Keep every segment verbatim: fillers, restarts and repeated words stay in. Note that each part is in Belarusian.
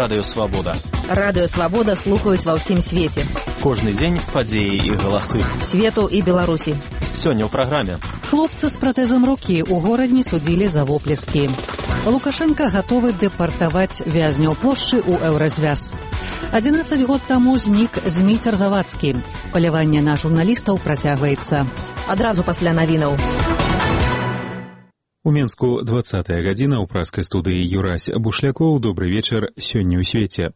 Радыё Свабода. Радыё Свабода слухаюць ва ўсім свеце. Кожны дзень падзеі і галасы. Свету і Беларусі. Сёння ў праграме. Хлопцы з пратэзам рукі ў горадні судзілі за воплескі. Лукашенко гатовы дэпартаваць вязняў плошчы ў еўразвяз. адзінаццаць год таму знік Зміцер Завадскі. Паляванне на журналістаў працягваецца. Адразу пасля навінаў. У Менску двадцатая гадзіна ў праскай студыі Юрась Бушлякоў. Добры вечар сёння ў свеце.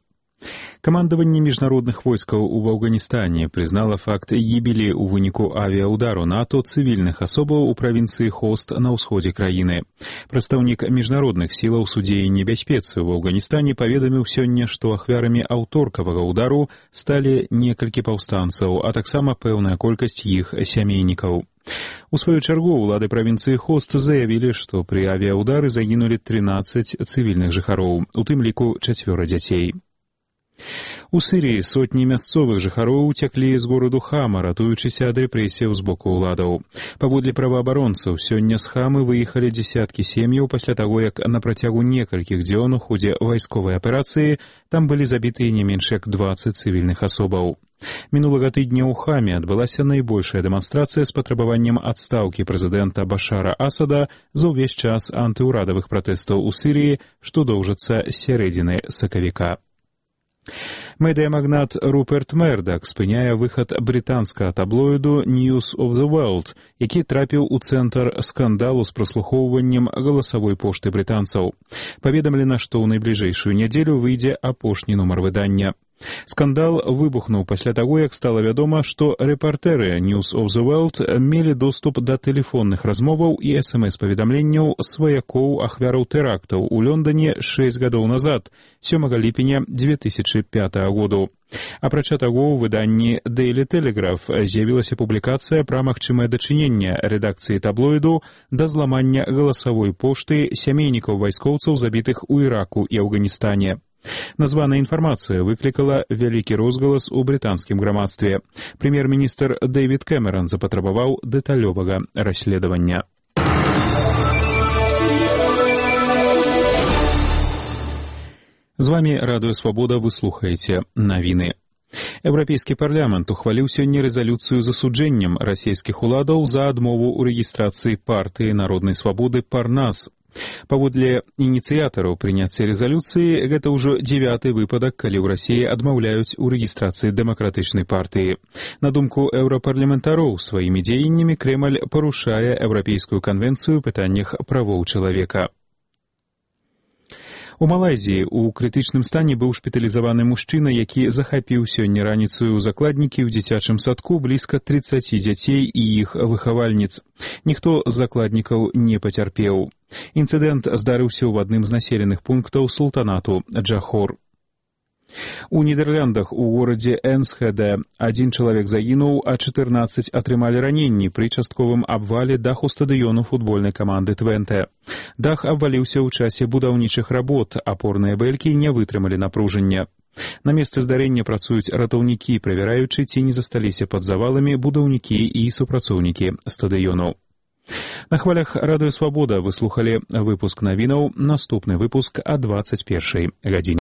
Камандаванне міжнародных войскаў у Афганістане прызнала факт гібелі ў выніку авіяудару НАТО цывільных асобаў у правінцыі Хост на ўсходзе краіны. Прадстаўнік міжнародных сілаў судзеі небяспецы ў Афганістане паведаміў сёння, што ахвярамі аўторкавага ўдару сталі некалькі паўстанцаў, а таксама пэўная колькасць іх сямейнікаў. У сваю чаргу ўлады правінцыі Хост заявілі, што пры авіяудары загінулі трынаццаць цывільных жыхароў, у тым ліку чацвёра дзяцей. У Сірыі сотні мясцовых жыхароў уцяклі з гораду Хама, ратуючыся ад рэпрэсіяў з боку ўладаў. Паводле праваабаронцаў, сёння з Хамы выехалі дзесяткі сем'яў пасля таго, як на працягу некалькіх дзён у ходзе вайсковай аперацыі там былі забітыя не менш як дваццаць цывільных асобаў. Мінулага тыдня ў Хаме адбылася найбольшая дэманстрацыя з патрабаваннем адстаўкі прэзідэнта Башара Асада за ўвесь час антыўрадавых пратэстаў у Сірыі, што доўжацца з сярэдзіны сакавіка. Медыямагнат Руперт Мердак спыняе выхад брытанскага таблоіду News of the World, які трапіў у цэнтр скандалу з праслухоўваннем галасавой пошты брытанцаў. Паведамлена, што ў найбліжэйшую нядзелю выйдзе апошні нумар выдання. Скандал выбухнуў пасля таго, як стала вядома, што рэпартэры News of the World мелі доступ да тэлефонных размоваў і эс эм эс-паведамленняў сваякоў ахвяраў тэрактаў у Лондоне шэсць гадоў назад, сёмага ліпеня дзве тысячы пятага году. Апрача таго, у выданні Daily Telegraph з'явілася публікацыя пра магчымае дачыненне рэдакцыі таблоіду да зламання галасавой пошты сямейнікаў вайскоўцаў, забітых у Іраку і Афганістане. Названая інфармацыя выклікала вялікі розгалас у брытанскім грамадстве. Прэм'ер-міністр Дэвід Кэмеран запатрабаваў дэталёвага расследавання. З вамі Радыё Свабода, вы слухаеце навіны. Еўрапейскі парламент ухваліў сёння рэзалюцыю з асуджэннем расійскіх уладаў за адмову ў рэгістрацыі партыі народнай свабоды «Парнас». Паводле ініцыятараў прыняцця рэзалюцыі, гэта ўжо дзевяты выпадак, калі ў Расіі адмаўляюць у рэгістрацыі дэмакратычнай партыі. На думку еўрапарламентароў, сваімі дзеяннямі Крэмль парушае Еўрапейскую канвенцыю ў пытаннях правоў чалавека. У Малайзіі ў крытычным стане быў шпіталізаваны мужчына, які захапіў сёння раніцаю ў закладнікі ў дзіцячым садку блізка трыццаці дзяцей і іх выхавальніц. Ніхто з закладнікаў не пацярпеў. Інцыдэнт здарыўся ў адным з населеных пунктаў султанату Джахор. У Нідерландах у горадзе Энсхеде адзін чалавек загінуў, а чатырнаццаць атрымалі раненні пры частковым абвале даху стадыёну футбольнай каманды Твенте. Дах абваліўся ў часе будаўнічых работ, апорныя бэлькі не вытрымалі напружання. На месцы здарэння працуюць ратаўнікі, правяраючы, ці не засталіся пад заваламі будаўнікі і супрацоўнікі стадыёну. На хвалях Радыё Свабода вы слухалі выпуск навінаў, наступны выпуск о двадцать першай гадзіне.